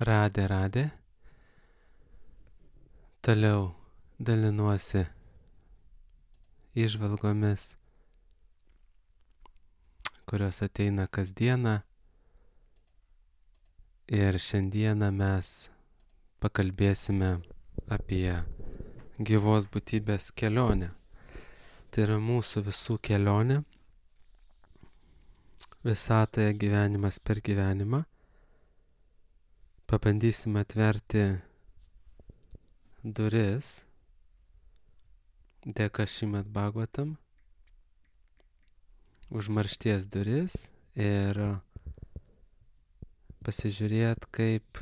Radė. Toliau dalinuosi įžvalgomis, kurios ateina kasdieną. Ir šiandieną mes pakalbėsime apie gyvos būtybės kelionę. Tai yra mūsų visų kelionė visatoje, gyvenimas per gyvenimą. Pabandysime atverti duris dėka Šrimad Bhagavatam, užmaršties duris, ir pasižiūrėti, kaip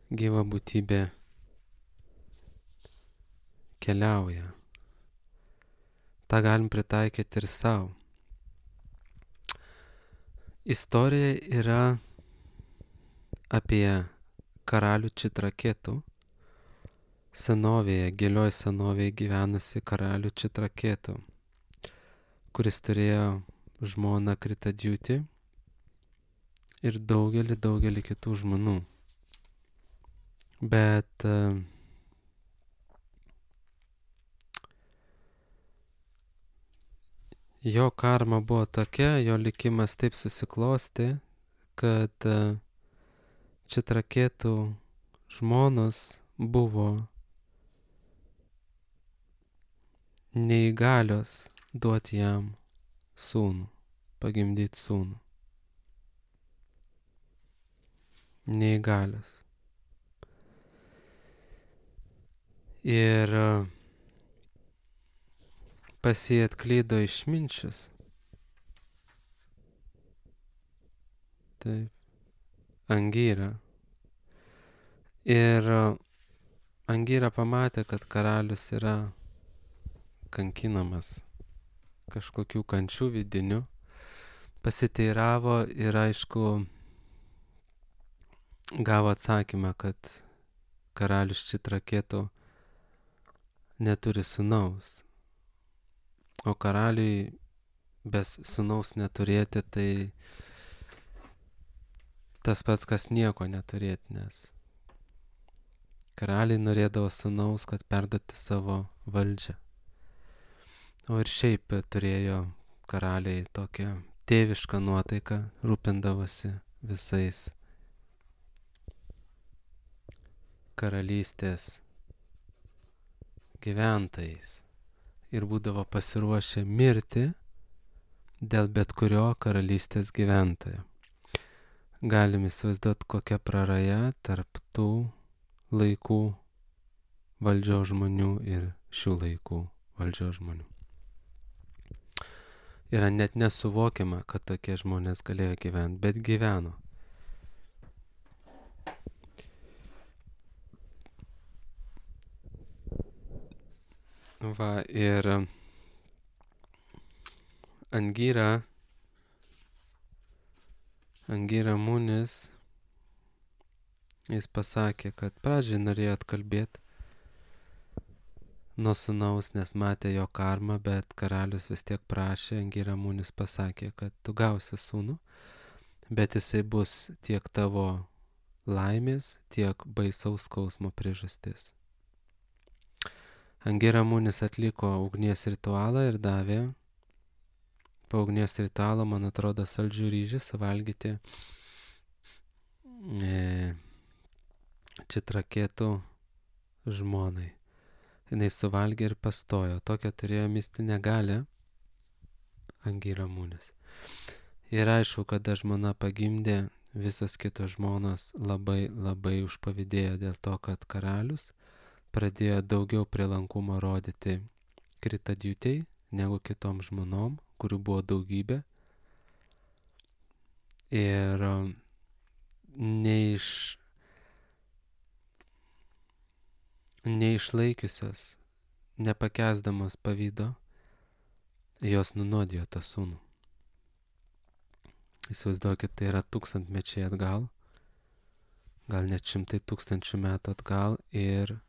gyva būtybė keliauja. Ta galim pritaikyti ir savo. Istorija yra apie karalių Čitraketų, senovėje, gilioj senovėje gyvenusi karalių Čitraketų, kuris turėjo žmoną Kritadžiutį ir daugelį kitų žmonų. Bet jo karma buvo tokia, jo likimas taip susiklosti, kad Čitraketų žmonos buvo neįgalios duoti jam sūnų, pagimdyti sūnų. Neįgalios. Ir pas jį atklydo išminčius. Taip. Angyra. Ir Angyra pamatė, kad karalius yra kankinamas kažkokių kančių vidinių. Pasiteiravo ir aišku gavo atsakymą, kad karalius Čitraketų neturi sūnaus. O karaliui be sūnaus neturėti, tai tas pats, kas nieko neturėti, nes karaliai norėdavo sūnaus, kad perduoti savo valdžią. O ir šiaip turėjo karaliai tokią tėvišką nuotaiką, rūpindavosi visais karalystės gyventojais ir būdavo pasiruošę mirti dėl bet kurio karalystės gyventojo. Galim įsivaizduoti, kokia praraja tarp tų laikų valdžios žmonių ir šių laikų valdžios žmonių. Yra net nesuvokiama, kad tokie žmonės galėjo gyventi, bet gyveno. Va, ir Angyra Munis, jis pasakė, kad pradžiai norėjo atkalbėti nuo sūnaus, nes matė jo karmą, bet karalius vis tiek prašė. Angyra Munis pasakė, kad tu gausi sūnų, bet jisai bus tiek tavo laimės, tiek baisaus skausmo priežastis. Angyra Munis atliko ugnies ritualą ir davė po ugnies ritualo, man atrodo, saldžių ryžių suvalgyti Čitraketų žmonai. Jis suvalgė ir pastojo. Tokią turėjo mistinę galią Angyra Munis. Ir aišku, kada žmona pagimdė, visos kitos žmonos labai užpavydėjo dėl to, kad karalius pradėjo daugiau prielankumo rodyti Kritadžiutei negu kitom žmonom, kurių buvo daugybė. Ir neišlaikiusios, nepakęsdamos pavydo, jos nunuodijo tą sūnų. Įsivaizduokit, tai yra 1000 mečiai atgal, gal net 100 000 metų atgal, ir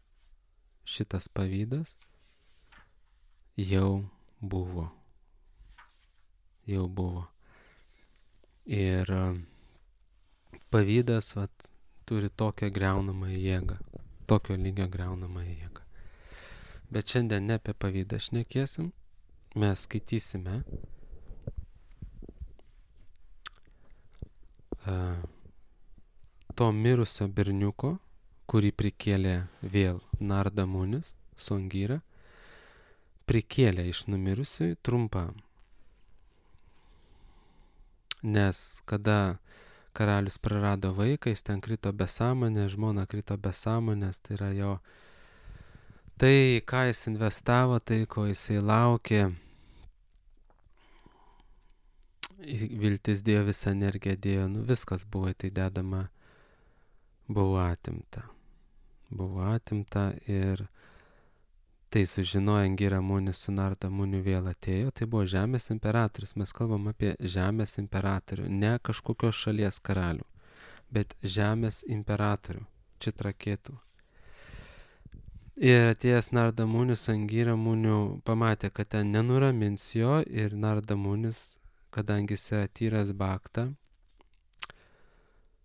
šitas pavydas jau buvo. Ir pavydas turi tokią griaunamą jėgą, tokio lygio griaunamą jėgą. Bet šiandien ne apie pavydą šnekėsim, mes skaitysime to mirusio berniuko, kurį prikėlė vėl Narda Munis su Angyra, prikėlė iš numirusiųjų trumpam. Nes kada karalius prarado vaiką, jis ten krito be sąmonės, žmona krito be sąmonės, tai yra jo tai, ką jis investavo, tai, ko jisai laukė, viltis dėjo, visą energiją dėjo, viskas buvo tai dedama, buvo atimta. Buvo atimta ir tai sužinojo Angyra Munis su Narda Muniu vėl atėjo, tai buvo žemės imperatorius, mes kalbam apie žemės imperatorių, ne kažkokios šalies karalių, bet žemės imperatorių, Čitraketų. Ir atėjęs Narda Munis, Angyra Muniu pamatė, kad ten nenuramins jo ir Narda Munis, kadangi jis yra tyras bhakta,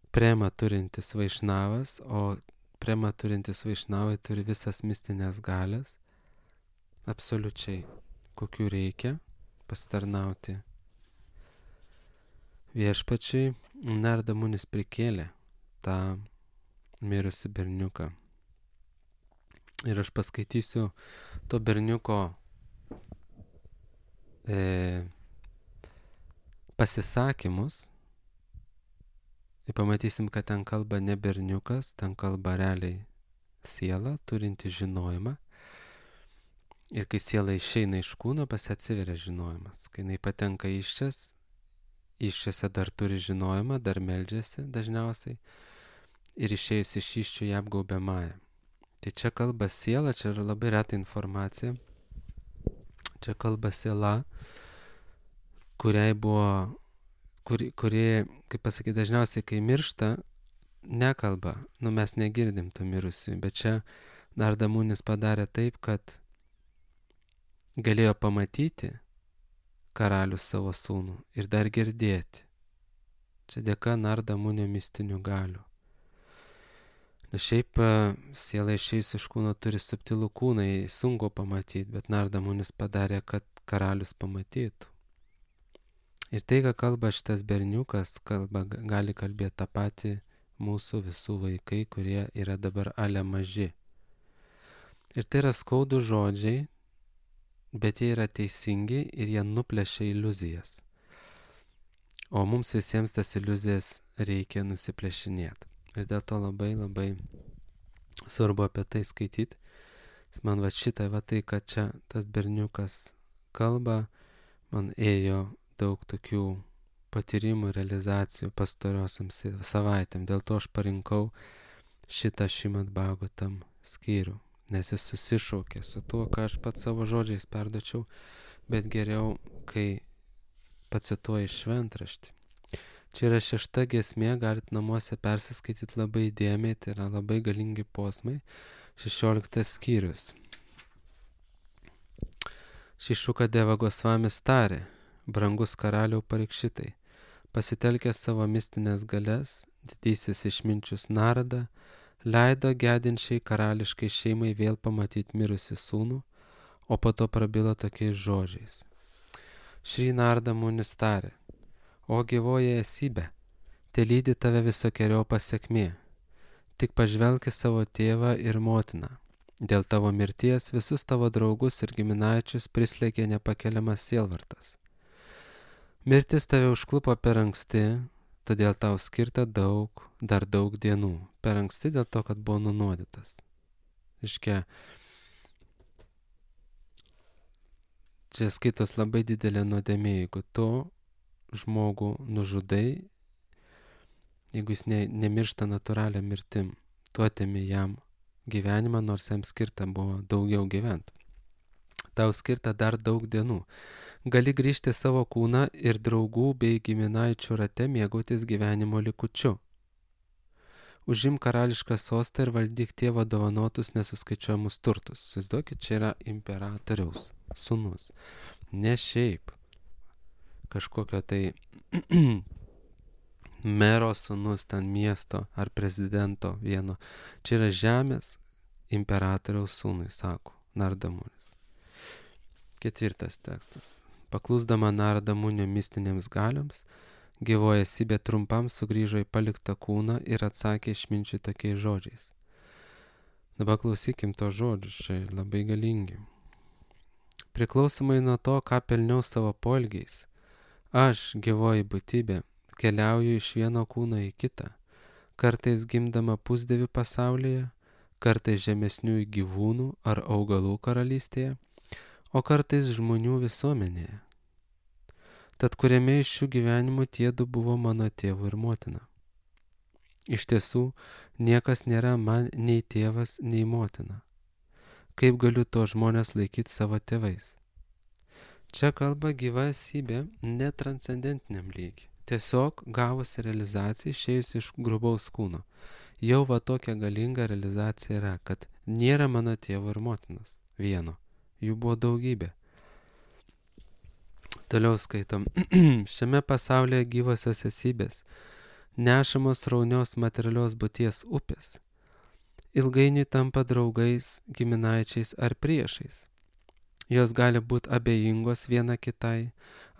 prema turintis vaišnavas, o prema turintis vaišnavai turi visas mistinės galias, absoliučiai, kokių reikia pasitarnauti viešpačiui. Narda Munis prikėlė tą mirusį berniuką. Ir aš paskaitysiu to berniuko pasisakymus. Ir pamatysim, kad ten kalba ne berniukas, ten kalba realiai siela, turinti žinojimą. Ir kai siela išeina iš kūno, pas ją atsiveria žinojimas. Kai jinai patenka iščiose dar turi žinojimą, dar meldžiasi dažniausiai. Ir išėjus iš iščių ją apgaubia Maja. Tai čia kalba siela, čia yra labai reta informacija. Čia kalba siela, kuriai buvo, kuri, kaip pasakyti, dažniausiai, kai miršta, nekalba, mes negirdim tų mirusių, bet čia Narda Munis padarė taip, kad galėjo pamatyti karalius savo sūnų ir dar girdėti. Čia dėka Narda Munio mistinių galių. Nes šiaip siela išėjus iš kūno turi subtilų kūną, sunku pamatyti, bet Narda Munis padarė, kad karalius pamatytų. Ir tai, ką kalba šitas berniukas, gali kalbėti tą patį mūsų visų vaikai, kurie yra dabar ale maži. Ir tai yra skaudų žodžiai, bet jie yra teisingi ir jie nuplėšia iliuzijas. O mums visiems tas iliuzijas reikia nusiplėšinėti. Ir dėl to labai labai svarbu apie tai skaityti. Man šitą, tai, kad čia tas berniukas kalba, man ėjo daug tokių patyrimų, realizacijų pastarosiom savaitėm. Dėl to aš parinkau šitą Šrimad Bhagavatam skyrių, nes jis susišaukė su tuo, ką aš pats savo žodžiais perduočiau, bet geriau, kai pacituoju šventraštį. Čia yra 6 giesmė, galit namuose persiskaityti labai įdėmiai, tai yra labai galingi posmai. 16 skyrius. Šrišukadeva Gosvamis tarė: brangus karaliau Parikšitai, pasitelkęs savo mistinės galias, didysis išminčius Narada leido gedinčiai karališkai šeimai vėl pamatyti mirusį sūnų, o po to prabilo tokiais žodžiais. Šri Narda Munis tarė: o gyvoji esybė, te lydi tave visokeriopą sėkmė, tik pažvelk į savo tėvą ir motiną. Dėl tavo mirties visus tavo draugus ir giminaičius prislėgė nepakeliamas sielvartas. Mirtis tave užklupo per anksti, todėl tau skirta dar daug dienų. Per anksti dėl to, kad buvo nunuodytas. Iškia, čia skaitos labai didelė nuodėmė, jeigu tu žmogų nužudai, jeigu jis nemiršta natūralią mirtim, tu atimi jam gyvenimą, nors jam skirta buvo daugiau gyventi. Tau skirta dar daug dienų. Gali grįžti savo kūną ir draugų bei giminaičių rate mėgautis gyvenimo likučiu. Užimk karališką sostą ir valdyk tėvo dovanotus nesuskaičiuojamus turtus. Įsivaizduokit, čia yra imperatoriaus sūnus. Ne šiaip kažkokio tai mero sūnus ten miesto ar prezidento vieno. Čia yra žemės imperatoriaus sūnui, sako Narada Munis. 4 tekstas. Paklusdama Narada Munio mistinėms galioms, gyvoji esybė trumpam sugrįžo į paliktą kūną ir atsakė išminčiui tokiais žodžiais. Dabar klausykim to žodžius, čia labai galingi. Priklausomai nuo to, ką pelniau savo poelgiais, aš, gyvoji būtybė, keliauju iš vieno kūno į kitą, kartais gimdama pusdievių pasaulyje, kartais žemesniųjų gyvūnų ar augalų karalystėje, o kartais žmonių visuomenėje. Tad kuriame iš šių gyvenimų tiedu buvo mano tėvu ir motina. Iš tiesų, niekas nėra man nei tėvas, nei motina. Kaip galiu to žmonės laikyti savo tėvais? Čia kalba gyva esybė netranscendentiniam lygiui. Tiesiog gavusi realizaciją išėjus iš grubaus kūno. Jau va tokia galinga realizacija yra, kad nėra mano tėvo ir motinos vieno. Jų buvo daugybė. Toliau skaitom. Šiame pasaulyje gyvosios esybės, nešamos sraunios materialios būties upės, ilgainiui tampa draugais, giminaičiais ar priešais. Jos gali būti abejingos viena kitai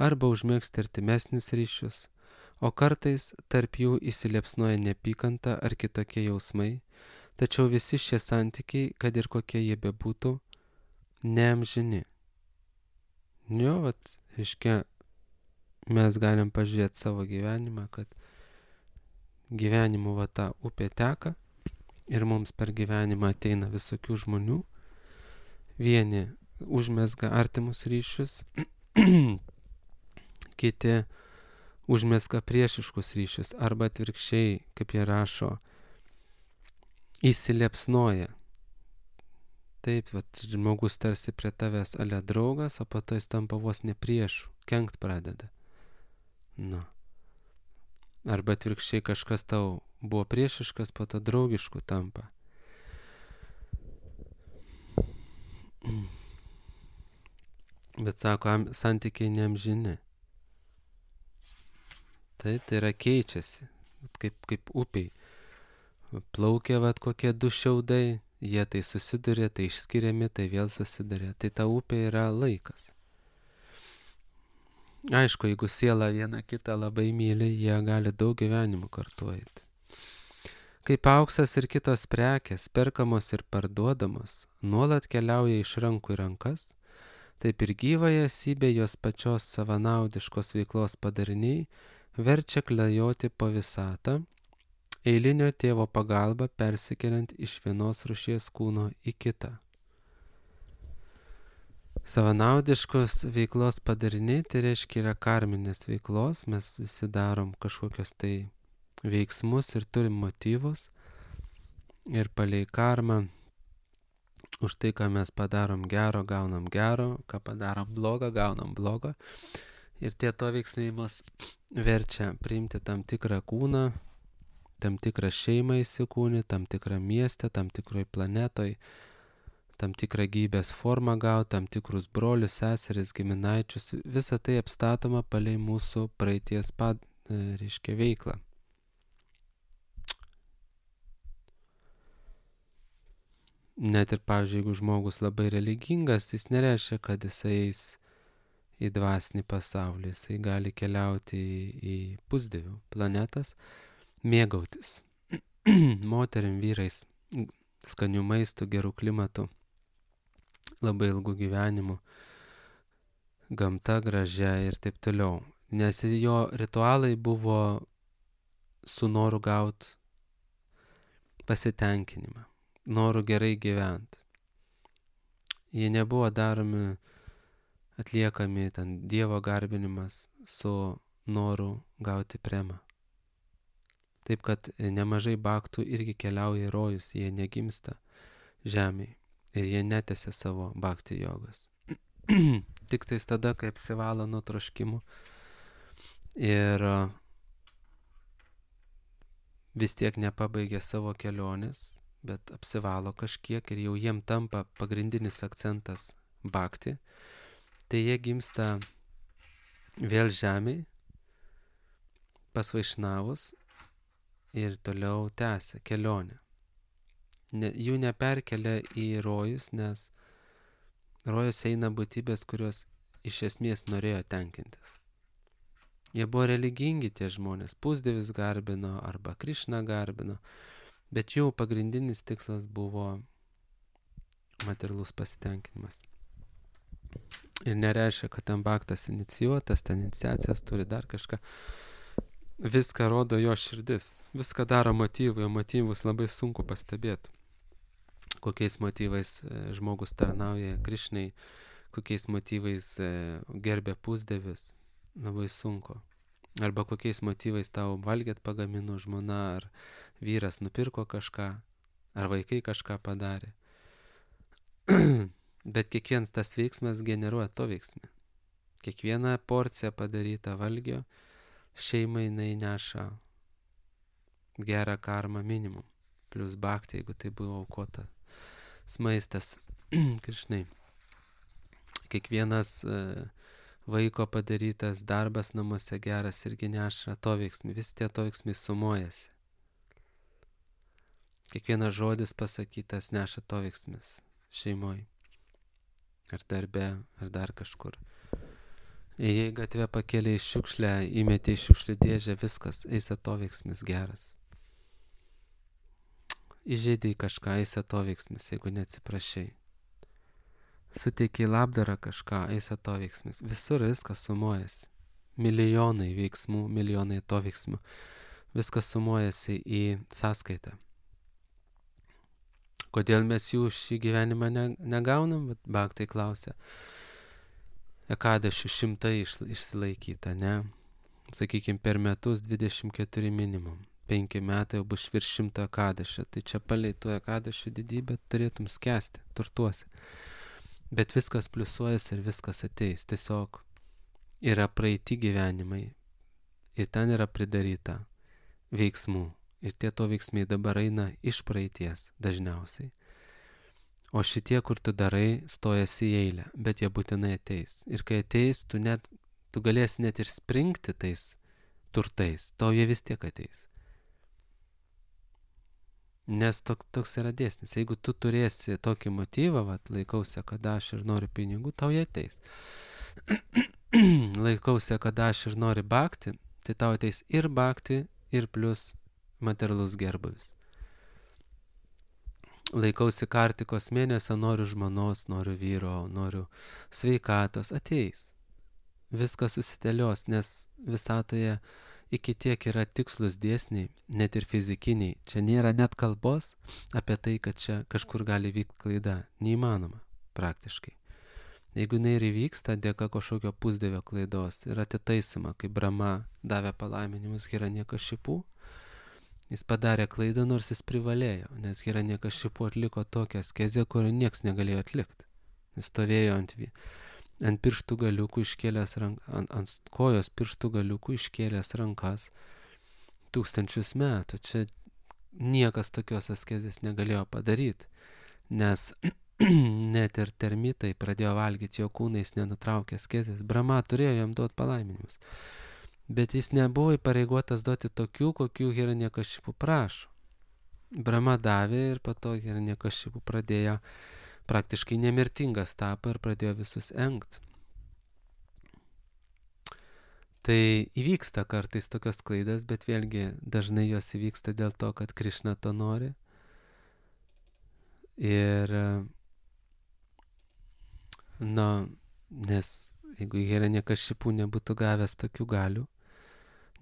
arba užmėgsti artimesnius ryšius, o kartais tarp jų įsiliepsnoja neapykanta ar kitokie jausmai, tačiau visi šie santykiai, kad ir kokie jie bebūtų, neamžini. Jo, vat, reiškia, mes galim pažiūrėti savo gyvenimą, kad gyvenimu va ta upė teka ir mums per gyvenimą ateina visokių žmonių. Vieni užmezga artimus ryšius, kiti užmezga priešiškus ryšius, arba atvirkščiai, kaip jie rašo, įsiliepsnoja. Taip, vat, žmogus tarsi prie tavęs ale draugas, o po to jis tampa vos ne priešu, kenkt pradeda. Nu. Arba atvirkščiai kažkas tau buvo priešiškas, po to draugišku tampa. Bet sako, santykiai neamžini. Taip, tai yra keičiasi, kaip upiai. Plaukia vat kokie du šiaudai, jie tai susiduria, tai išskiriami, tai vėl susiduria. Tai ta upė yra laikas. Aišku, jeigu siela viena kitą labai myli, jie gali daug gyvenimų kartu eiti. Kaip auksas ir kitos prekės, perkamos ir parduodamos, nuolat keliauja iš rankų į rankas, taip ir gyvąją esybę jos pačios savanaudiškos veiklos padariniai verčia klajoti po visatą, eilinio tėvo pagalba persikeliant iš vienos rūšies kūno į kitą. Savanaudiškos veiklos padariniai, tai reiškia yra karminės veiklos, mes visi darom kažkokios tai veiksmus ir turim motyvus ir palei karmą už tai, ką mes padarom gero, gaunam gero, ką padarom blogo, gaunam blogo. Ir tie to veiksmai mus verčia priimti tam tikrą kūną, tam tikrą šeimą įsikūnį, tam tikrą miestą, tam tikroj planetoj, tam tikrą gyvybės formą gauti, tam tikrus brolius, seseris, giminaičius. Visa tai apstatoma palei mūsų praeities reiškia veiklą. Net ir, pavyzdžiui, jeigu žmogus labai religingas, jis nereiškia, kad jisai eis į dvasinį pasaulį, jisai gali keliauti į pusdievių planetas, mėgautis moterim, vyrais, skanių maistų, gerų klimatų, labai ilgų gyvenimų, gamta gražia ir taip toliau. Nes jo ritualai buvo su noru gauti pasitenkinimą, noru gerai gyventi. Jie nebuvo daromi, atliekami ten Dievo garbinimas su noru gauti premą. Taip kad nemažai baktų irgi keliauja į rojus, jie negimsta žemėje ir jie netęsia savo bhakti jogos. Tik tais tada, kai apsivalo nuo troškimų ir vis tiek nepabaigia savo kelionės, bet apsivalo kažkiek ir jau jiem tampa pagrindinis akcentas bhakti, tai jie gimsta vėl žemėje, pas vaišnavus ir toliau tęsia kelionę. Jų neperkelia į rojus, nes rojus eina būtybės, kurios iš esmės norėjo tenkintis. Jie buvo religingi tie žmonės, pusdievis garbino arba Krišną garbino, bet jų pagrindinis tikslas buvo materialus pasitenkinimas. Ir nereiškia, kad ten baktas inicijuotas, ten iniciacijas turi dar kažką. Viską rodo jo širdis, viską daro motyvai, o motyvus labai sunku pastebėti. Kokiais motyvais žmogus tarnauja Krišnai, kokiais motyvais gerbė pusdievis, labai sunku. Arba kokiais motyvais tau valgėt pagamino žmona, ar vyras nupirko kažką, ar vaikai kažką padarė. Bet kiekvienas tas veiksmas generuoja to veiksmą. Kiekviena porcija padaryta valgio šeimai jinai neša gerą karmą minimum. Plus bhakti, jeigu tai buvo aukota maistas Krišnai. Kiekvienas vaiko padarytas darbas namuose geras irgi neša to veiksmį. Visi tie to veiksmai sumuojasi. Kiekvienas žodis pasakytas neša to veiksmis šeimoj. Ar darbe, ar dar kažkur. Jei gatvę pakėlė į šiukšlę, įmetė į šiukšlių dėžę, viskas, eis atoveiksmis geras. Įžeidė į kažką, eis atoveiksmis, jeigu neatsiprašai. Suteikiai labdarą kažką, eis atoveiksmis. Visur viskas sumuojasi. Milijonai veiksmų, milijonai atoveiksmių. Viskas sumuojasi į sąskaitą. Kodėl mes jų šį gyvenimą negaunam? Bhaktai klausia. Ekadašių 100 išsilaikyta, ne? Sakykime, per metus 24 minimum. 5 metai jau bus virš 100 ekadašių. Tai čia palei tų ekadašių didybę turėtum skęsti, turtuosi. Bet viskas pliusuojas ir viskas ateis. Tiesiog yra praeiti gyvenimai. Ir ten yra pridaryta veiksmų. Ir tie to veiksmai dabar eina iš praeities dažniausiai. O šitie, kur tu darai, stojasi į eilę, bet jie būtinai ateis. Ir kai ateis, tu galėsi net ir springti tais turtais, tau jie vis tiek ateis. Nes toks yra dėsnis. Jeigu tu turėsi tokį motyvą, laikausi, kad aš ir noriu pinigų, tau jie ateis. Laikausi, kad aš ir noriu bhakti, tai tau ateis ir bhakti, ir plus materialus gerbuvis. Laikausi kartikos mėnesio, noriu žmonos, noriu vyro, noriu sveikatos, ateis. Viskas susidėlios, nes visatoje iki tiek yra tikslus dėsniai, net ir fizikiniai. Čia nėra net kalbos apie tai, kad čia kažkur gali vykti klaida. Neįmanoma praktiškai. Jeigu jinai ir įvyksta dėka kažkokio pusdievio klaidos ir atitaisoma, kai Brahma davė palaiminimus Hiranyakashipu, jis padarė klaidą, nors jis privalėjo, nes Hiranyakashipu atliko tokią askezę, kurio nieks negalėjo atlikti. Jis stovėjo ant pirštų galiukų iškėlęs ant kojos pirštų galiukų iškėlęs rankas 1000 metų. Čia niekas tokios askezės negalėjo padaryti, nes net ir termitai pradėjo valgyti jo kūną, jis nenutraukė askezės. Brahma turėjo jam duoti palaiminimus. Bet jis nebuvo įpareigotas duoti tokių, kokių Hiranyakashipu prašo. Brahma davė ir po to Hiranyakashipu pradėjo praktiškai nemirtingas tapo ir pradėjo visus engt. Tai įvyksta kartais tokios klaidas, bet vėlgi dažnai jos įvyksta dėl to, kad Krišna to nori. Ir nes jeigu Hiranyakashipu nebūtų gavęs tokių galių,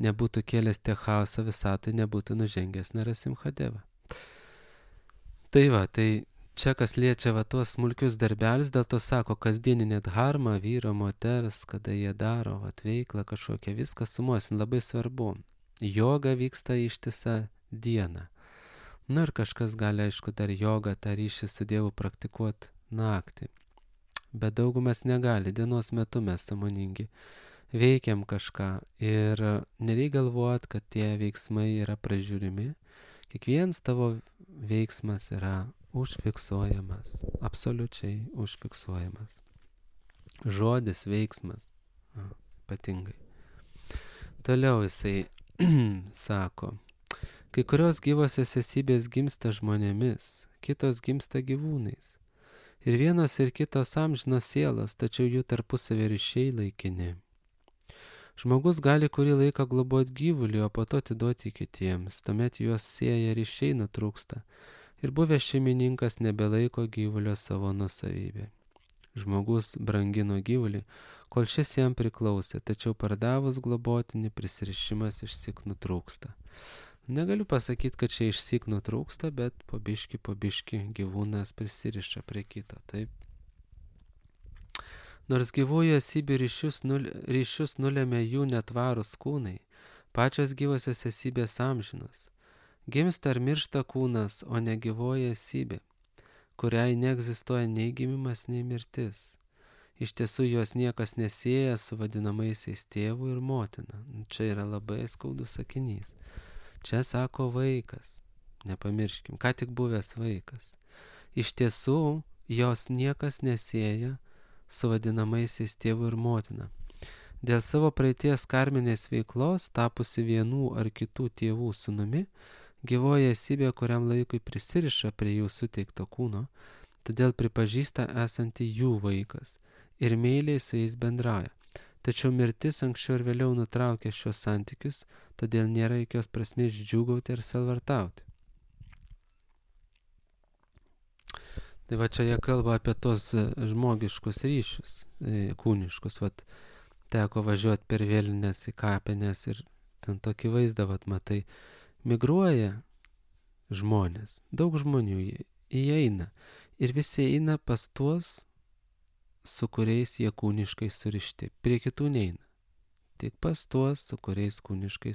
nebūtų kėlęs tiek chaoso visatą, nebūtų nužengęs Narasimhadeva. Tai čia kas liečia tuos smulkius darbelius, dėl to sako, kasdieninė dharma, vyro, moters, kada jie daro veiklą kažkokią, viskas sumuosin, labai svarbu. Joga vyksta ištisą dieną. Ir kažkas gali, aišku, dar jogą, tą ryšį su Dievu praktikuoti naktį. Bet daugumas negali, dienos metu mes sąmoningi veikiam kažką ir nereikia galvoti, kad tie veiksmai yra pražiūrimi. Kiekvienas tavo veiksmas yra užfiksuojamas, absoliučiai užfiksuojamas. Žodis, veiksmas, ypatingai. Toliau jisai sako, kai kurios gyvosios esybės gimsta žmonėmis, kitos gimsta gyvūnais. Ir vienos ir kitos amžinos sielos, tačiau jų tarpusavio ryšiai laikini. Žmogus gali kurį laiką globoti gyvulį, o po to atiduoti kitiems, tuomet juos sieja ryšiai nutrūksta ir buvęs šeimininkas nebelaiko gyvulio savo nusavybė. Žmogus brangino gyvulį, kol šis jam priklausė, tačiau pardavus globotinį prisirišimas išsyk nutrūksta. Negaliu pasakyti, kad čia išsyk nutrūksta, bet po biški gyvūnas prisiriša prie kito, taip. Nors gyvųjų esybių ryšius nulėmė jų netvarūs kūnai, pačios gyvosios esybės amžinos. Gimsta ar miršta kūnas, o ne gyvoji esybė, kuriai neegzistuoja nei gimimas, nei mirtis. Iš tiesų jos niekas nesieja su vadinamaisiais tėvu ir motina. Čia yra labai skaudus sakinys. Čia sako vaikas, nepamirškim, ką tik buvęs vaikas. Iš tiesų jos niekas nesieja su vadinamaisiais tėvu ir motina. Dėl savo praeities karminės veiklos, tapusi vienų ar kitų tėvų sūnumi, gyvoji esybė kuriam laikui prisiriša prie jų suteikto kūno, todėl pripažįsta esanti jų vaikas ir meiliai su jais bendrauja. Tačiau mirtis anksčiau ir vėliau nutraukia šios santykius, todėl nėra jokios prasmės džiūgauti ir selvartauti. Tai va čia jie kalba apie tos žmogiškus ryšius, kūniškus. Vat, teko važiuoti per vėlines į kapines ir ten tokį vaizdą, vat, matai, migruoja žmonės, daug žmonių įeina ir visi eina pas tuos, su kuriais jie kūniškai surišti. Prie kitų neina, tik pas tuos, su kuriais kūniškai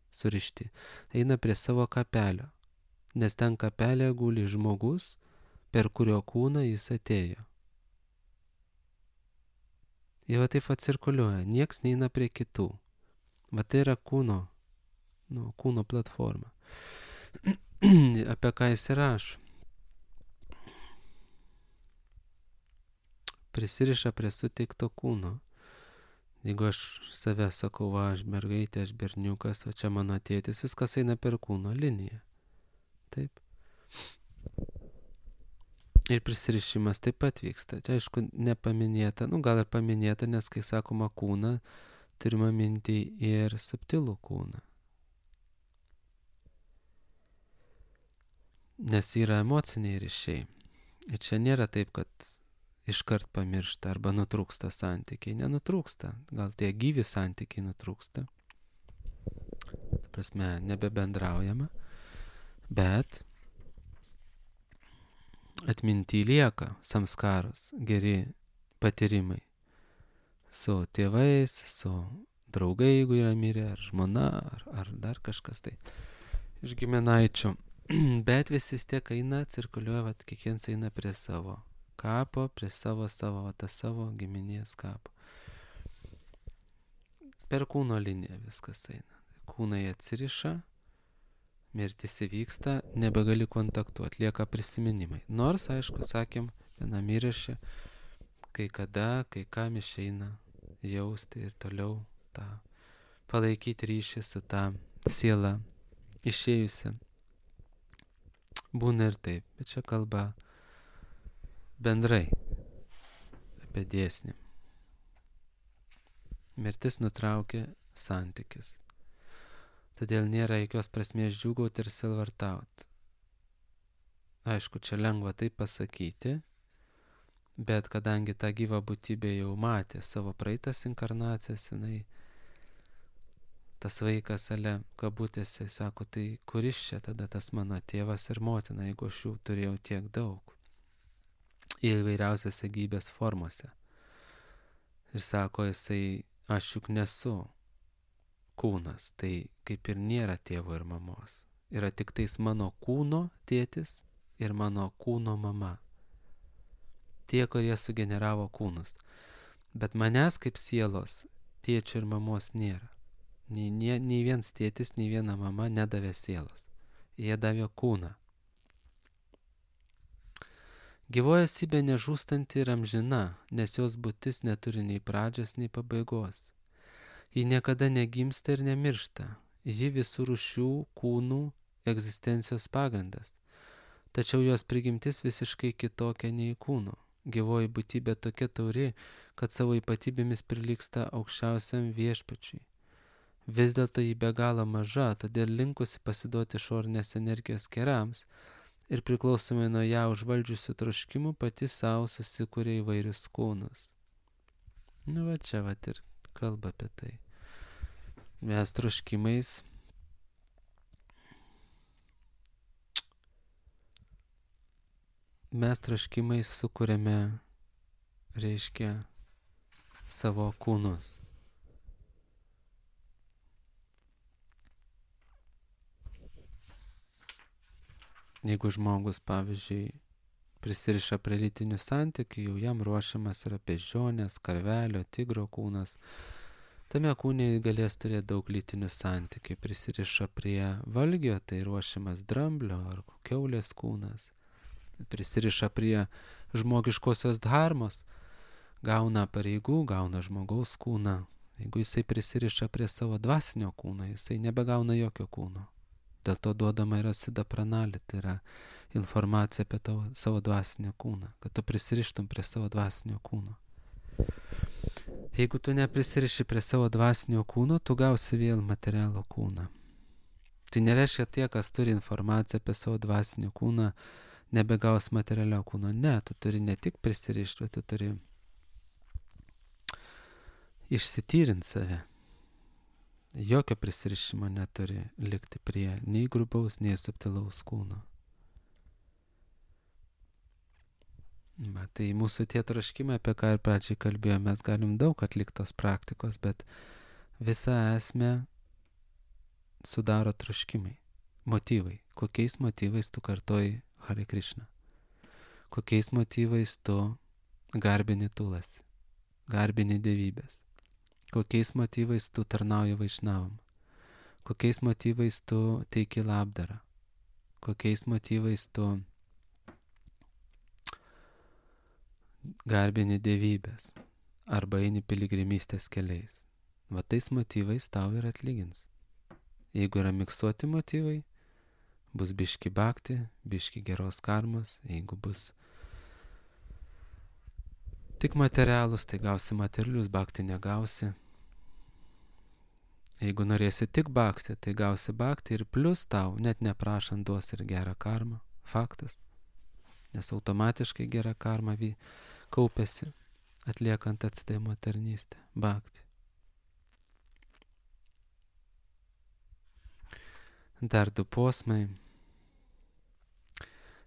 surišti. Eina prie savo kapelio, nes ten kapelė guli žmogus, per kurio kūną jis atėjo. Jie va taip cirkuliuoja, nieks neina prie kitų. Va tai yra kūno platforma. Apie ką jis rašo? Prisiriša prie suteikto kūno. Jeigu aš save sakau, va, aš mergaitė, aš berniukas, o čia mano tėtis, viskas eina per kūno liniją. Taip. Ir prisirišimas taip pat vyksta. Čia aišku nepaminėta, gal ir paminėta, nes kai sakoma kūną, turime minti ir subtilų kūną. Nes yra emociniai ryšiai. Ir čia nėra taip, kad iškart pamiršta arba nutrūksta santykiai. Nenutrūksta. Gal tie gyvi santykiai nutrūksta. Ta prasme, nebebendraujama. Bet atminty lieka samskaros, geri patyrimai su tėvais, su draugai, jeigu yra mirę, ar žmona, ar dar kažkas tai iš giminaičių. Bet visi tiek eina, cirkuliuoja, vat, kiekvienas eina prie savo kapo, prie savo giminės kapo. Per kūno liniją viskas eina. Kūnai atsiriša, mirtis įvyksta, nebegali kontaktuoti, lieka prisiminimai. Nors, aišku, sakėm, vienam įraše, kai kam išeina jausti ir toliau tą palaikyti ryšį su tą siela išėjusią. Būna ir taip, bet čia kalba bendrai apie dėsnį. Mirtis nutraukia santykius. Todėl nėra jokios prasmės džiūgauti ir selvartauti. Aišku, čia lengva tai pasakyti, bet kadangi ta gyva būtybė jau matė savo praeitas inkarnacijas, tas vaikas kabutėse sako, tai kuris čia tada tas mano tėvas ir motina, jeigu aš jų turėjau tiek daug įvairiausiose gyvybės formose. Ir sako jisai, aš juk nesu kūnas, tai kaip ir nėra tėvo ir mamos. Yra tik tais mano kūno tėtis ir mano kūno mama. Tie, kurie sugeneravo kūnus. Bet manęs kaip sielos tėčio ir mamos nėra. Nei vienas tėtis, nei viena mama nedavė sielos. Jie davė kūną. Gyvoji esybė nežūstanti ir amžina, nes jos būtis neturi nei pradžios, nei pabaigos. Ji niekada negimsta ir nemiršta. Ji visų rūšių kūnų egzistencijos pagrindas. Tačiau jos prigimtis visiškai kitokia nei kūno. Gyvoji būtybė tokia tauri, kad savo ypatybėmis prilygsta aukščiausiam viešpačiui. Vis dėlto ji be galo maža, todėl linkusi pasiduoti išorinės energijos kerams ir priklausomai nuo ją užvaldžiusių troškimų pati savo susikūrė įvairius kūnus. Nu va čia va ir kalba apie tai. Mes troškimais sukūrėme, reiškia, savo kūnus. Jeigu žmogus, pavyzdžiui, prisiriša prie lytinių santykių, jau jam ruošiamas yra beždžionės, karvelio, tigro kūnas. Tame kūne galės turėti daug lytinių santykių. Prisiriša prie valgio, tai ruošiamas dramblio ar kiaulės kūnas. Prisiriša prie žmogiškosios dharmos, gauna pareigų, gauna žmogaus kūną. Jeigu jisai prisiriša prie savo dvasinio kūno, jisai nebegauna jokio kūno. Dėl to duodama yra sida pranali, tai yra informacija apie savo dvasinį kūną, kad tu prisirištum prie savo dvasinio kūno. Jeigu tu neprisiriši prie savo dvasinio kūno, tu gausi vėl materialų kūną. Tai nereiškia tie, kas turi informaciją apie savo dvasinį kūną, nebegaus materialio kūno. Ne, tu turi ne tik prisirišti, bet tu turi išsityrinti save. Jokio prisirišimo neturi likti prie nei grubaus, nei subtilaus kūno. Va, tai mūsų tie troškimai, apie ką ir pradžiai kalbėjome, mes galim daug atliktos praktikos, bet visą esmę sudaro troškimai, motyvai. Kokiais motyvais tu kartoji Hare Krishna? Kokiais motyvais tu garbini Tulasi, garbini dievybės? Kokiais motyvais tu tarnauji Vaišnavam? Kokiais motyvais tu teiki labdarą? Kokiais motyvais tu garbini dievybės? Arba eini piligrimystės keliais? Va tais motyvais tau ir atlygins. Jeigu yra miksuoti motyvai, bus biški bhakti, biški geros karmos. Jeigu bus tik materialus, tai gausi materialius, bhakti negausi. Jeigu norėsi tik bhakti, tai gausi bhakti ir plus tau, net neprašant, duos ir gerą karmą. Faktas. Nes automatiškai gera karma kaupiasi, atliekant atsidavimo tarnystę. Bhakti. Dar 2 posmai.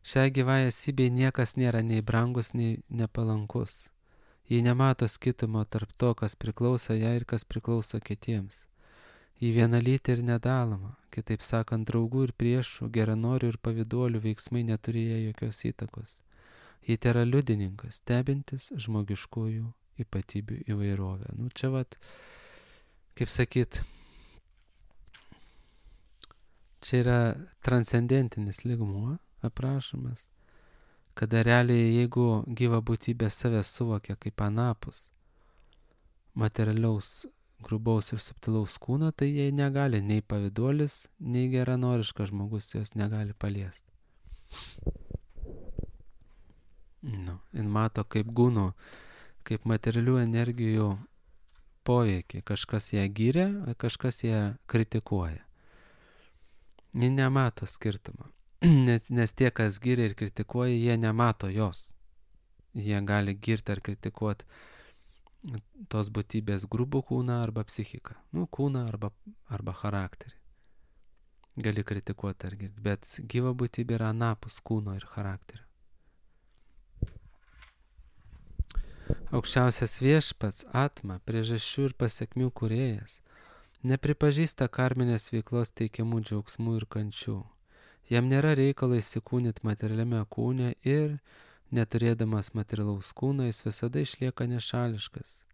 Šiai gyvai esybei niekas nėra nei brangus, nei nepalankus. Ji nemato skirtumo tarp to, kas priklauso jai ir kas priklauso kitiems. Ji vienalytė ir nedaloma, kitaip sakant, draugų ir priešų, geranorių ir pavyduolių veiksmai neturi jai jokios įtakos. Ji tėra liudininkas, stebintis žmogiškųjų ypatybių įvairovę. Nu čia vat, kaip sakyt, čia yra transcendentinis lygmuo aprašomas, kada realiai jeigu gyva būtybė save suvokia kaip anapus materialiaus, grubaus ir subtilaus kūno, tai jai negali nei pavyduolis, nei geranoriškas žmogus jos negali paliesti. Jin mato kaip gūnų, kaip materialių energijų poveikį. Kažkas ją gyria, kažkas ją kritikuoja. Ji nemato skirtumą. Nes tie, kas giria ir kritikuoja, jie nemato jos. Jie gali girti ar kritikuoti tos būtybės grubų kūną arba psichiką. Kūną arba charakterį. Gali kritikuoti ar girti, bet gyva būtybė yra anapus kūno ir charakterio. Aukščiausias viešpats, atma, priežasčių ir pasiekmių kūrėjas, nepripažįsta karminės veiklos teikiamų džiaugsmų ir kančių. Jam nėra reikalo įsikūnyti materialiame kūne ir, neturėdamas materialaus kūno, jis visada išlieka nešališkas.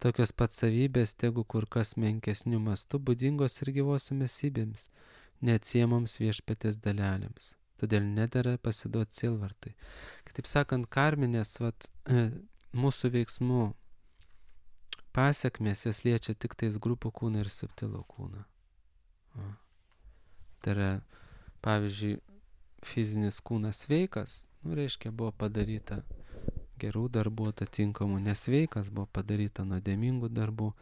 Tokios pat savybės, tegu kur kas menkesnių mastų, būdingos ir gyvosiomis esybėms, neatsiemoms viešpatės dalelėms. Todėl nedera pasiduoti sielvartui. Kitaip sakant, karminės mūsų veiksmų pasiekmės jos liečia tik tais grupų kūną ir subtilų kūną. Tai yra, pavyzdžiui, fizinis kūnas sveikas, reiškia, buvo padaryta gerų darbų atitinkamų, nesveikas buvo padaryta nuodėmingų darbų,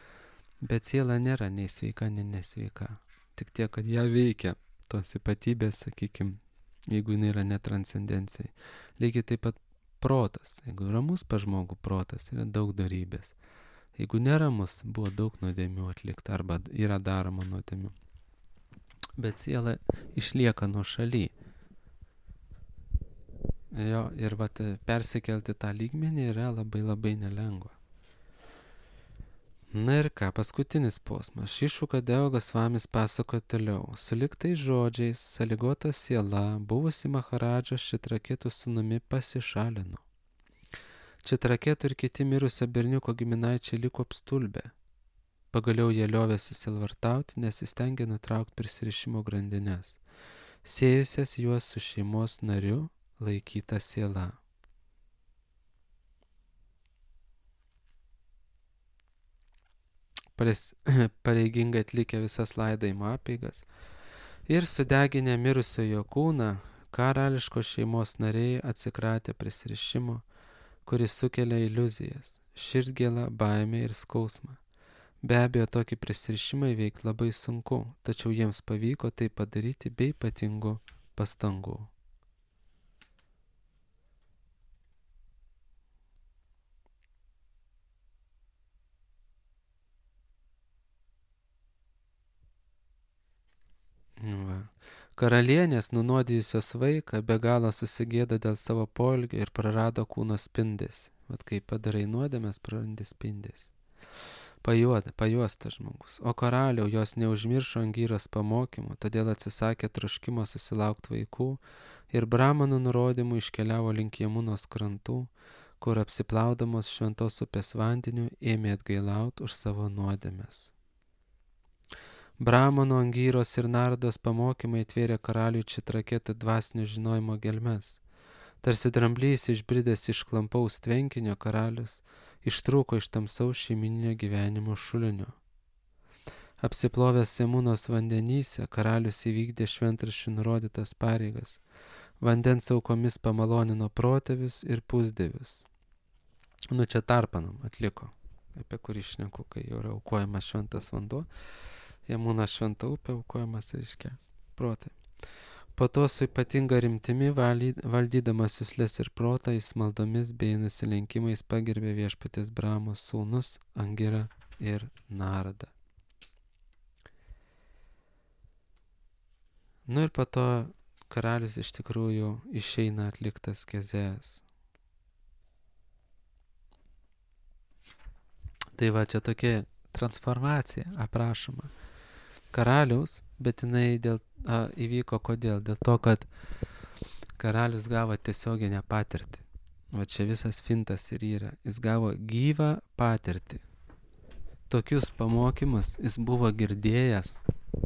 bet siela nėra nei sveika, nei nesveika. Tik tiek, kad ją veikia tos ypatybės, sakykime, jeigu jinai yra netranscendencijai. Lygiai taip pat protas. Jeigu ramus pas žmogų protas, yra daug darybės. Jeigu neramus, buvo daug nuodėmių atlikta arba yra daroma nuodėmių. Bet siela išlieka nuošaly. Jo, ir persikelti tą lygmenį yra labai labai nelengva. Na ir ką, paskutinis posmas. Šišuka Deva Gosvamis pasakoja toliau. Suliktais žodžiais, sąlygota siela, buvusi Maharadžos Čitraketų sūnumi pasišalino. Čitraketų ir kiti mirusio berniuko giminaičiai liko apstulbę. Pagaliau jie liovėsi sielvartauti, nes įstengė nutraukti prisirišimo grandines, siejusias juos su šeimos nariu laikyta siela. Pareigingai atlikę visas laidojimo apeigas ir sudeginę mirusiojo kūną, karališkos šeimos nariai atsikratė prisirišimo, kuris sukelia iliuzijas, širdgėlą, baimę ir skausmą. Be abejo, tokį prisirišimą įveikti labai sunku, tačiau jiems pavyko tai padaryti be ypatingų pastangų. Karalienės, nunuodijusios vaiką, be galo susigėdo dėl savo poelgio ir prarado kūno spindesį. Vat kai padarai nuodėmes, prarandi spindesį. Pajuostas žmogus. O karaliau, jos neužmiršo Angyros pamokymų, todėl atsisakė troškimo susilaukti vaikų ir Brahmanų nurodymų iškeliavo link Jamunos krantų, kur apsiplaudamos šventos upės vandeniu ėmė atgailauti už savo nuodėmes. Brahmano, Angyros ir Nardos pamokymai atvėrė karaliui Čitraketų dvasinio žinojimo gelmes. Tarsi dramblys išbridęs iš klampaus tvenkinio, karalius ištrūko iš tamsaus šeimininio gyvenimo šulinio. Apsiplovęs Jamunos vandenyse, karalius įvykdė šventraščių nurodytas pareigas. Vandens aukomis pamalonino protėvius ir pusdievius. Čia tarpanam atliko, apie kurį šneku, kai jau yra aukojamas šventas vanduo. Jamuna šventa upė, aukojamas, reiškia, protai. Po to su ypatinga rimtimi valdydamas juslės ir protą, jis maldomis bei nusilenkimais pagerbė viešpatės Brahmos sūnus Angirą ir Nardą. Ir po to karalius iš tikrųjų išeina atliktas kezės. Tai va, čia tokia transformacija aprašoma karaliaus, bet jinai įvyko kodėl? Dėl to, kad karalius gavo tiesioginę patirtį. Va čia visas fintas ir yra. Jis gavo gyvą patirtį. Tokius pamokymus jis buvo girdėjęs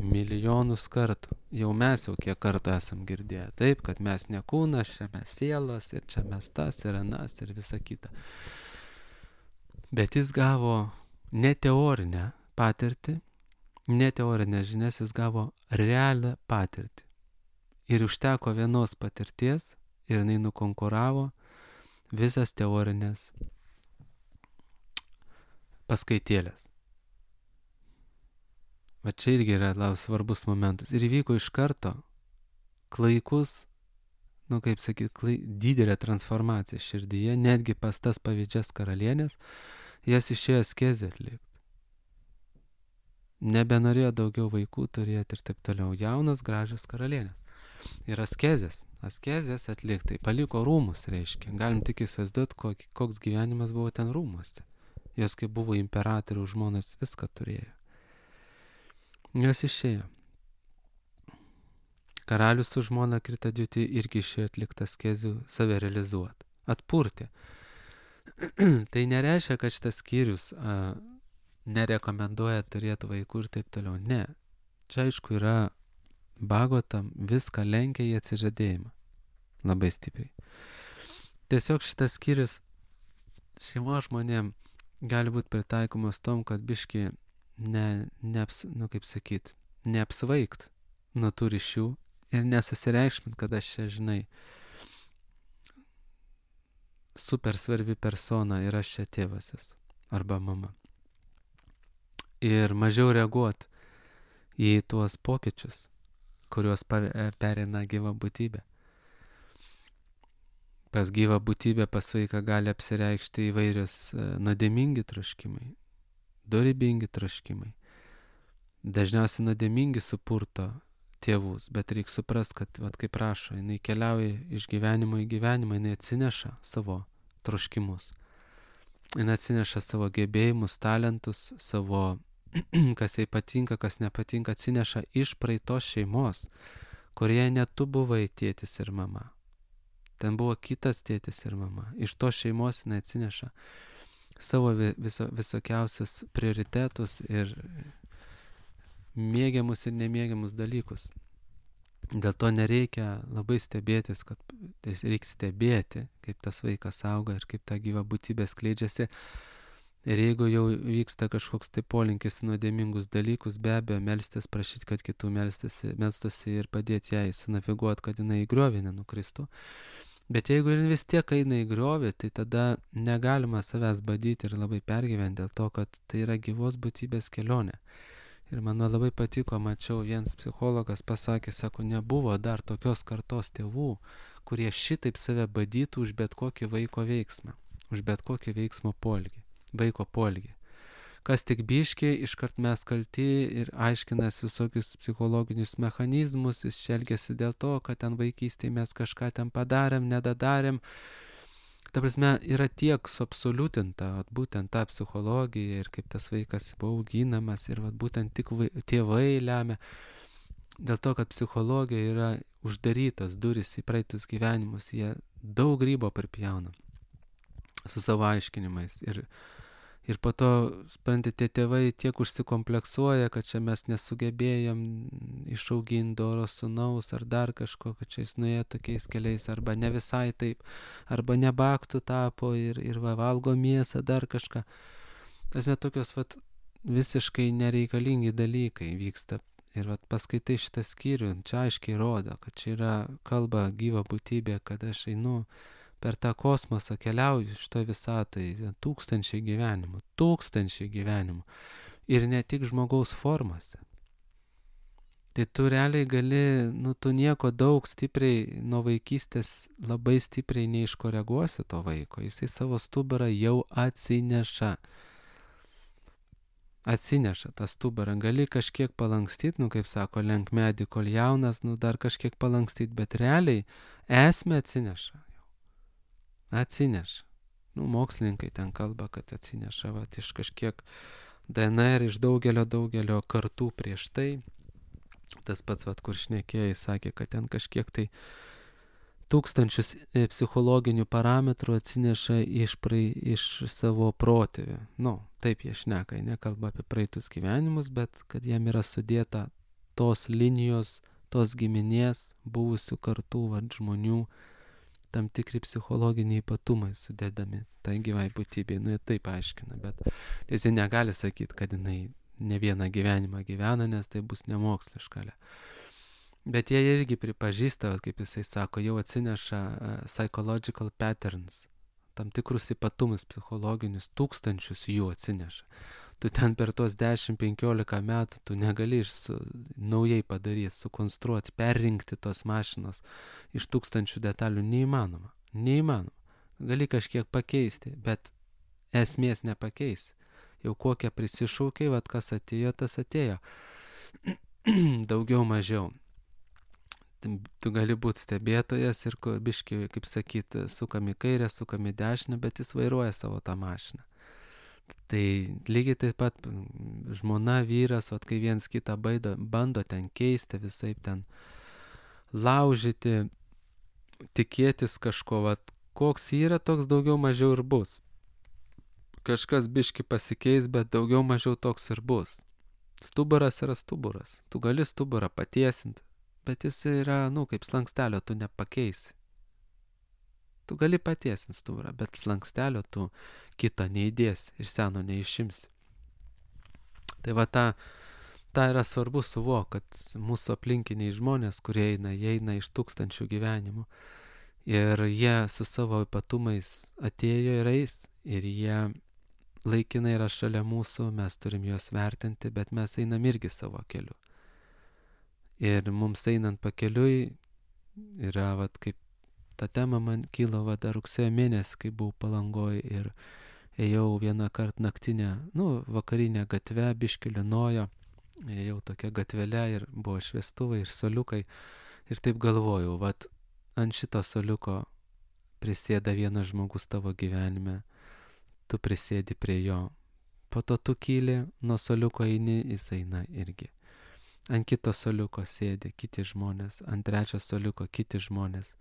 milijonus kartų. Jau mes kiek kartų esam girdėję. Taip, kad mes ne kūnas, čia mes sielos, ir čia mes tas, ir anas, ir visa kita. Bet jis gavo ne teorinę patirtį, ne teorinės žinias, jis gavo realią patirtį. Ir užteko vienos patirties ir jinai nukonkuravo visas teorinės paskaitėlės. Va čia irgi yra labai svarbus momentas. Ir įvyko iš karto klaikus, kaip sakyti, didelė transformacija širdyje, netgi pas tas pavydžias karalienės, jas išėjo askezę atlikti. Nebenorėjo daugiau vaikų turėti ir taip toliau. Jaunas, gražios karalienės. Ir askezės atliktai. Paliko rūmus, reiškia. Galim tik įsivaizduoti, koks gyvenimas buvo ten rūmuose. Jos, kai buvo imperatorių žmonos, viską turėjo. Jos išėjo. Karalius su žmona Kritadžiuti irgi išėjo atlikti askezių, save realizuoti. Atpurti. Tai nereiškia, kad šitas skyrius nerekomenduoja turėti vaikų ir taip toliau. Ne. Čia aišku yra Bhagavatam viską lenkia į atsižadėjimą. Labai stipriai. Tiesiog šitas skyrius šeimos žmonėm gali būti pritaikomos tom, kad biški neapsvaigt nuo tų ryšių ir nesusireikšmint, kad aš čia, žinai, super svarbi persona ir aš čia tėvas esu arba mama. Ir mažiau reaguot į tuos pokyčius, kuriuos pereina gyva būtybė. Pas gyvą būtybę, pas vaiką gali apsireikšti įvairius nuodėmingi troškimai, dorybingi troškimai. Dažniausiai nuodėmingi supurto tėvus, bet reikia suprast, kad, kaip rašo, jinai keliauja iš gyvenimo į gyvenimą, jinai atsineša savo troškimus. Jinai atsineša savo gebėjimus, talentus, savo, kas jai patinka, kas nepatinka, atsineša iš praeitos šeimos, kurioje ne tu buvai tėtis ir mama. Ten buvo kitas tėtis ir mama. Iš tos šeimos jinai atsineša savo visokiausius prioritetus ir mėgiamus ir nemėgiamus dalykus. Dėl to nereikia labai stebėtis, kad reikia stebėti, kaip tas vaikas auga ir kaip ta gyva būtybė skleidžiasi. Ir jeigu jau vyksta kažkoks tai polinkis nuodėmingus dalykus, be abejo, melstis, prašyti, kad kitų melstųsi ir padėti jai sunaviguoti, kad jinai į griovį nenukristų. Bet jeigu vis tiek eina į griovį, tai tada negalima savęs badyti ir labai pergyventi dėl to, kad tai yra gyvos būtybės kelionė. Ir man labai patiko, mačiau, vienas psichologas pasakė, sako, nebuvo dar tokios kartos tėvų, kurie šitaip save badytų už bet kokį vaiko veiksmą, už bet kokį vaiko poelgį. Kas tik biškiai, iškart mes kalti ir aiškinas visokius psichologinius mechanizmus, jis elgiasi dėl to, kad ten vaikystėje mes kažką ten padarėm, nedadarėm. Ta prasme, yra tiek suabsoliutinta, būtent ta psichologija ir kaip tas vaikas buvo auginamas ir būtent tik tėvai lemia. Dėl to, kad psichologija yra uždarytos durys į praeitus gyvenimus, jie daug grybo pripjauna su savo aiškinimais. Ir po to, sprantate, tėvai tiek užsikompleksuoja, kad čia mes nesugebėjom išauginti doro sūnaus ar dar kažko, kad čia jis nuėjo tokiais keliais, arba ne visai taip, arba nebaktų tapo ir valgo mėsą, dar kažką. Tasme tokios visiškai nereikalingi dalykai vyksta. Ir paskaitai šitą skyrių, čia aiškiai rodo, kad čia yra kalba gyva būtybė, kad aš einu per tą kosmosą, keliauju šitoj visatoje tūkstančiai gyvenimų ir ne tik žmogaus formose. Tai tu realiai gali, tu nieko daug stipriai nuo vaikystės labai stipriai neiškoreguosi to vaiko, jisai savo stuburą jau atsineša tą stuburą, gali kažkiek palankstyti, kaip sako, lenk medį, kol jaunas, dar kažkiek palankstyti, bet realiai esmę atsineša. Mokslininkai ten kalba, kad atsineša iš kažkiek DNR, iš daugelio kartų prieš tai. Tas pats, kur šnekėjai, sakė, kad ten kažkiek tai tūkstančius psichologinių parametrų atsineša iš savo protėvių. Taip jie šneka, nekalba apie praeitus gyvenimus, bet kad jiem yra sudėta tos linijos, tos giminės, buvusių kartų žmonių, tam tikri psichologiniai ypatumai sudėdami tai gyvai būtybei. Jie taip aiškina, bet jis negali sakyti, kad jinai ne vieną gyvenimą gyvena, nes tai bus nemoksliška. Bet jie irgi pripažįsta, kaip jisai sako, jau atsineša psychological patterns, tam tikrus ypatumus psichologinius, tūkstančius jų atsineša. Tu ten per tos 10-15 metų tu negali naujai padaryti, sukonstruoti, perrinkti tos mašinos iš tūkstančių detalių. Neįmanoma. Gali kažkiek pakeisti, bet esmės nepakeisi. Jau kokią prisišaukiai, kas atėjo, tas atėjo. Daugiau mažiau. Tu gali būti stebėtojas ir biški, kaip sakyti, sukam į kairę, sukam į dešinę, bet jis vairuoja savo tą mašiną. Tai lygiai taip pat žmona, vyras, kai viens kitą bando ten keisti, visaip ten laužyti, tikėtis kažko, koks yra, toks daugiau mažiau ir bus. Kažkas biški pasikeis, bet daugiau mažiau toks ir bus. Stuburas yra stuburas. Tu gali stuburą patiesinti, bet jis yra, kaip slankstelio, tu nepakeisi. Tu gali patiesint stuburą, bet slankstelio tu kito neįdėsi ir seno neišimsi. Tai va ta yra svarbu suvok, kad mūsų aplinkiniai žmonės, kurie jie eina iš tūkstančių gyvenimų ir jie su savo ypatumais atėjo ir eis ir jie laikinai yra šalia mūsų, mes turim juos vertinti, bet mes einam irgi savo keliu. Ir mums einant pakeliui yra, vat, kaip ta tema man kilo, vat, rugsėjo mėnesį, kai buvau Palangoj ir ėjau vieną kartą naktinę, vakarinę gatvę, biškį lynojo, ėjau tokia gatvelė ir buvo šviestuvai ir soliukai ir taip galvojau, vat, ant šito soliuko prisėda vienas žmogus tavo gyvenime, tu prisėdi prie jo, po to tu kyli, nuo soliuko eini, jis eina irgi. Ant kito soliuko sėdi kiti žmonės, ant trečio soliuko kiti žmonės.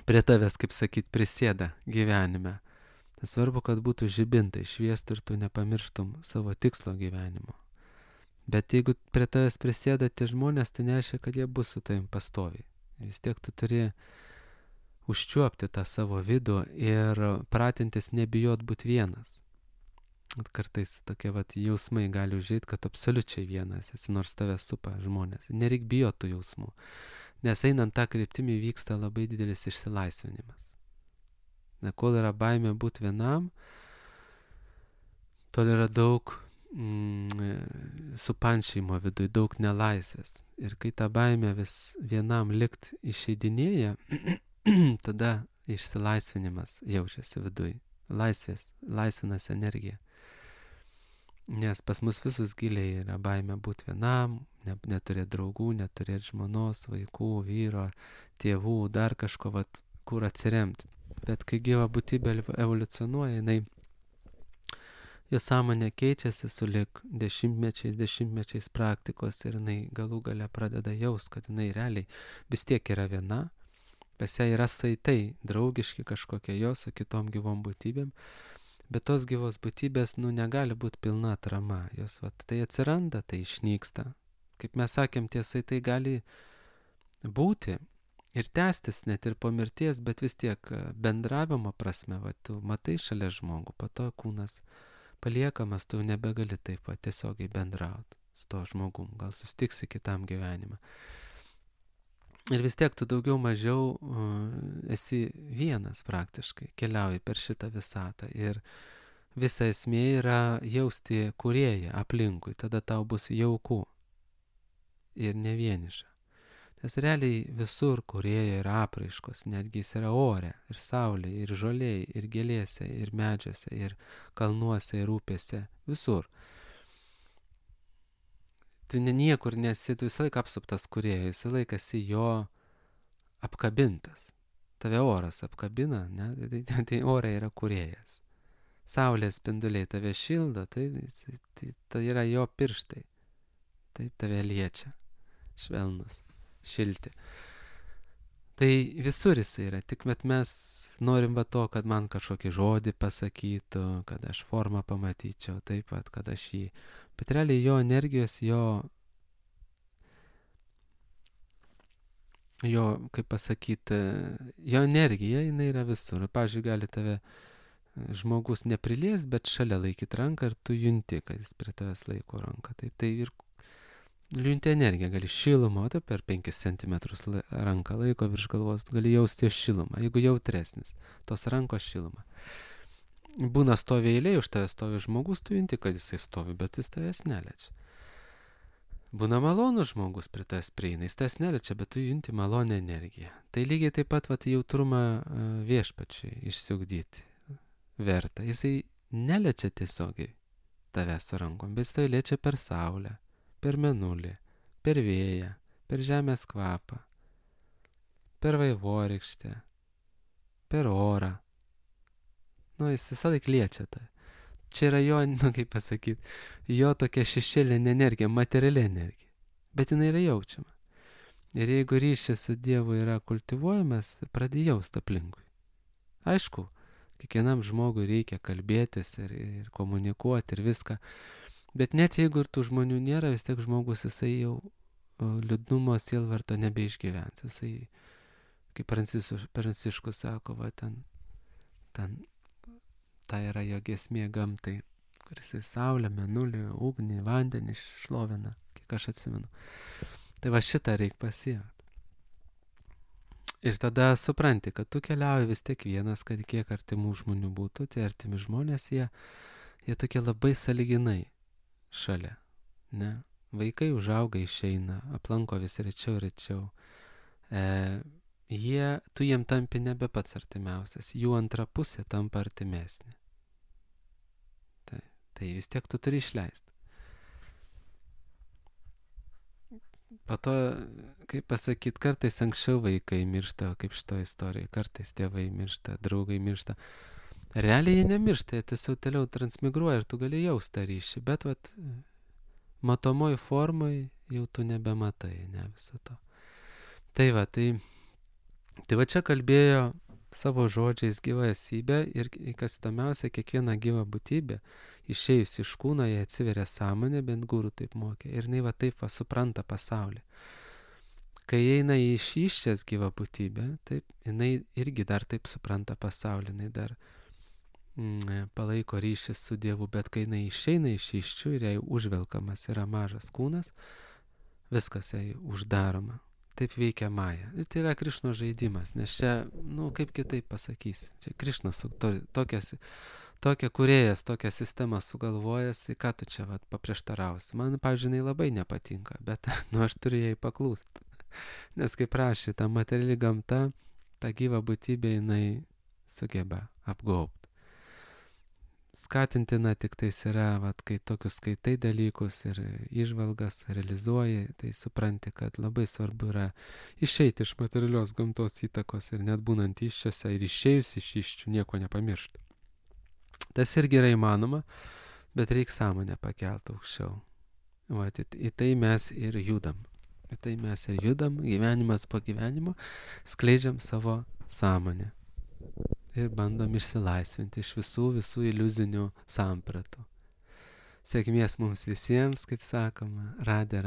Prie tavęs, kaip sakyt, prisėda gyvenime. Tai svarbu, kad būtų žibintai šviestų ir tu nepamirštum savo tikslo gyvenimo. Bet jeigu prie tavęs prisėda tie žmonės, tai nereiškia, kad jie bus su tavim pastoviai. Vis tiek tu turi užčiuopti tą savo vidų ir pratintis nebijot būti vienas. Kartais tokie jausmai gali užeit, kad absoliučiai vienas esi, nors tave supa žmonės. Nereik bijot tų jausmų, nes einant tą kryptimį vyksta labai didelis išsilaisvinimas. Kol yra baimė būti vienam, tol yra daug supančymo viduj, daug nelaisvės. Ir kai ta baimė vis vienam likt išeidinėja, tada išsilaisvinimas jaučiasi viduj. Laisvinas energija. Nes pas mus visus giliai yra baimė būti vienam, neturėti draugų, neturėti žmonos, vaikų, vyro, tėvų, dar kažko, kur atsiremti. Bet kai gyva būtybė evoliucionuoja, jos sąmonė keičiasi sulig dešimtmečiais praktikos ir jinai galų gale pradeda jaust, kad jinai realiai vis tiek yra viena, pas ją yra saitai draugiški kažkokie jos su kitom gyvom būtybėm. Bet tos gyvos būtybės, negali būti pilna atrama. Jos, tai atsiranda, tai išnyksta. Kaip mes sakėm, tiesai tai gali būti ir tęstis net ir po mirties, bet vis tiek bendravimo prasme, tu matai šalia žmogų, po to kūnas paliekamas, tu nebegali taip tiesiogiai bendrauti su to žmogum. Gal susitiksi kitam gyvenimą. Ir vis tiek tu daugiau mažiau esi vienas praktiškai, keliauji per šitą visatą ir visa esmė yra jausti kūrėją aplinkui, tada tau bus jauku ir ne vieniša. Nes realiai visur kūrėjo yra apraiškos, netgi jis yra ore, ir saulėje, ir žolėje, ir gėlėse, ir medžiuose, ir kalnuose, ir upėse, visur. Tu niekur nesi, tu visą laiką apsuptas kūrėjo, visą laiką esi jo apkabintas. Tave oras apkabina, ne? Tai ore yra kūrėjas. Saulės spinduliai tave šildo, tai yra jo pirštai. Taip tave liečia, švelnus, šilti. Tai visur jisai yra, tik mes norim to, kad man kažkokį žodį pasakytų, kad aš formą pamatyčiau, taip pat, kad aš jį. Bet realiai jo energijos, jo, kaip pasakyti, jo energija, jinai yra visur. Pavyzdžiui, gali tave žmogus neprilies, bet šalia laikyti ranką ir tu junti, kad jis prie tavęs laiko ranką. Taip, tai ir junti energiją, gali šilumą, tai per 5 cm ranką laiko virš galvos, gali jausti jo šilumą, jeigu jautresnis, tos rankos šilumą. Būna stovi eilė, už tave stovi žmogus, tu junti, kad jisai stovi, bet jis tavęs neliečia. Būna malonus žmogus prie tavęs prieina, jis tavęs neliečia, bet tu junti malonę energiją. Tai lygiai taip pat jautrumą viešpačiui išsiugdyti verta. Jisai neliečia tiesiogiai tavęs su rankom, bet jis tave liečia per saulę, per mėnulį, per vėją, per žemės kvapą, per vaivorykštę, per orą. Jis visą laik liečia tą. Čia yra jo, kaip pasakyti, jo tokia šešėlinė energija, materiali energija. Bet jinai yra jaučiama. Ir jeigu ryšys su Dievu yra kultivuojamas, pradėjo jausti aplinkui. Aišku, kiekvienam žmogui reikia kalbėtis ir komunikuoti ir viską. Bet net jeigu ir tų žmonių nėra, vis tiek žmogus jisai jau liūdnumo, sielvarto nebeišgyvens. Jisai kaip Pranciškus sako, va ten ta yra jo giesmė gamtai, kuris į saulę, mėnulį, ugnį, vandenį šlovina, kiek aš atsimenu. Tai va šitą reikia pasiekti. Ir tada supranti, kad tu keliauji vis tiek vienas, kad kiek artimų žmonių būtų, tie artimi žmonės, jie tokie labai sąlyginai šalia, ne? Vaikai užauga, išeina, aplanko vis rečiau ir rečiau. Tu jiem tampi nebe pats artimiausias, jų antra pusė tampa artimesnė. Tai vis tiek tu turi išleisti. Po to, kaip pasakyti, kartais anksčiau vaikai miršta, kaip šito istorija, kartais tėvai miršta, draugai miršta. Realiai jie nemiršta, jie tiesiog toliau transmigruoja ir tu gali jausti tą ryšį, bet vat matomoj formoj jau tu nebematai, ne viso to. Tai va va čia kalbėjo savo žodžiais gyva esybė ir kas įdomiausia, kiekviena gyva būtybė, išėjus iš kūno, jie atsiveria sąmonė, bent guru taip mokė, ir jinai va taip va supranta pasaulį. Kai eina į išyščias gyva būtybė, taip, jinai irgi dar taip supranta pasaulį, jinai dar palaiko ryšį su Dievu, bet kai jinai išeina iš iščių ir jai užvelkamas yra mažas kūnas, viskas jai uždaroma. Taip veikia Maja. Ir tai yra Krišnos žaidimas, nes čia, kaip kitaip pasakysi, čia Krišnas tokia kūrėjas, tokią sistemą sugalvojęs, tai ką tu čia paprieštarausi. Man, pavyzdžiui, labai nepatinka, bet aš turiu jai paklūsti. Nes kaip rašė, ta materiali gamta, ta gyva būtybė, jinai sugeba apgaubti. Skatintina tik tais yra, kai tokius skaitai dalykus ir įžvalgas realizuoji, tai supranti, kad labai svarbu yra išeiti iš materialios gamtos įtakos ir net būnant iščiose ir išėjus iš iščių nieko nepamiršti. Tas irgi yra įmanoma, bet reikia sąmonę pakelti aukščiau. Į tai mes ir judam. Gyvenimas po gyvenimo, skleidžiam savo sąmonę. Ir bandom išsilaisvinti iš visų iliuzinių sampratų. Sėkmės mums visiems, kaip sakoma, radė.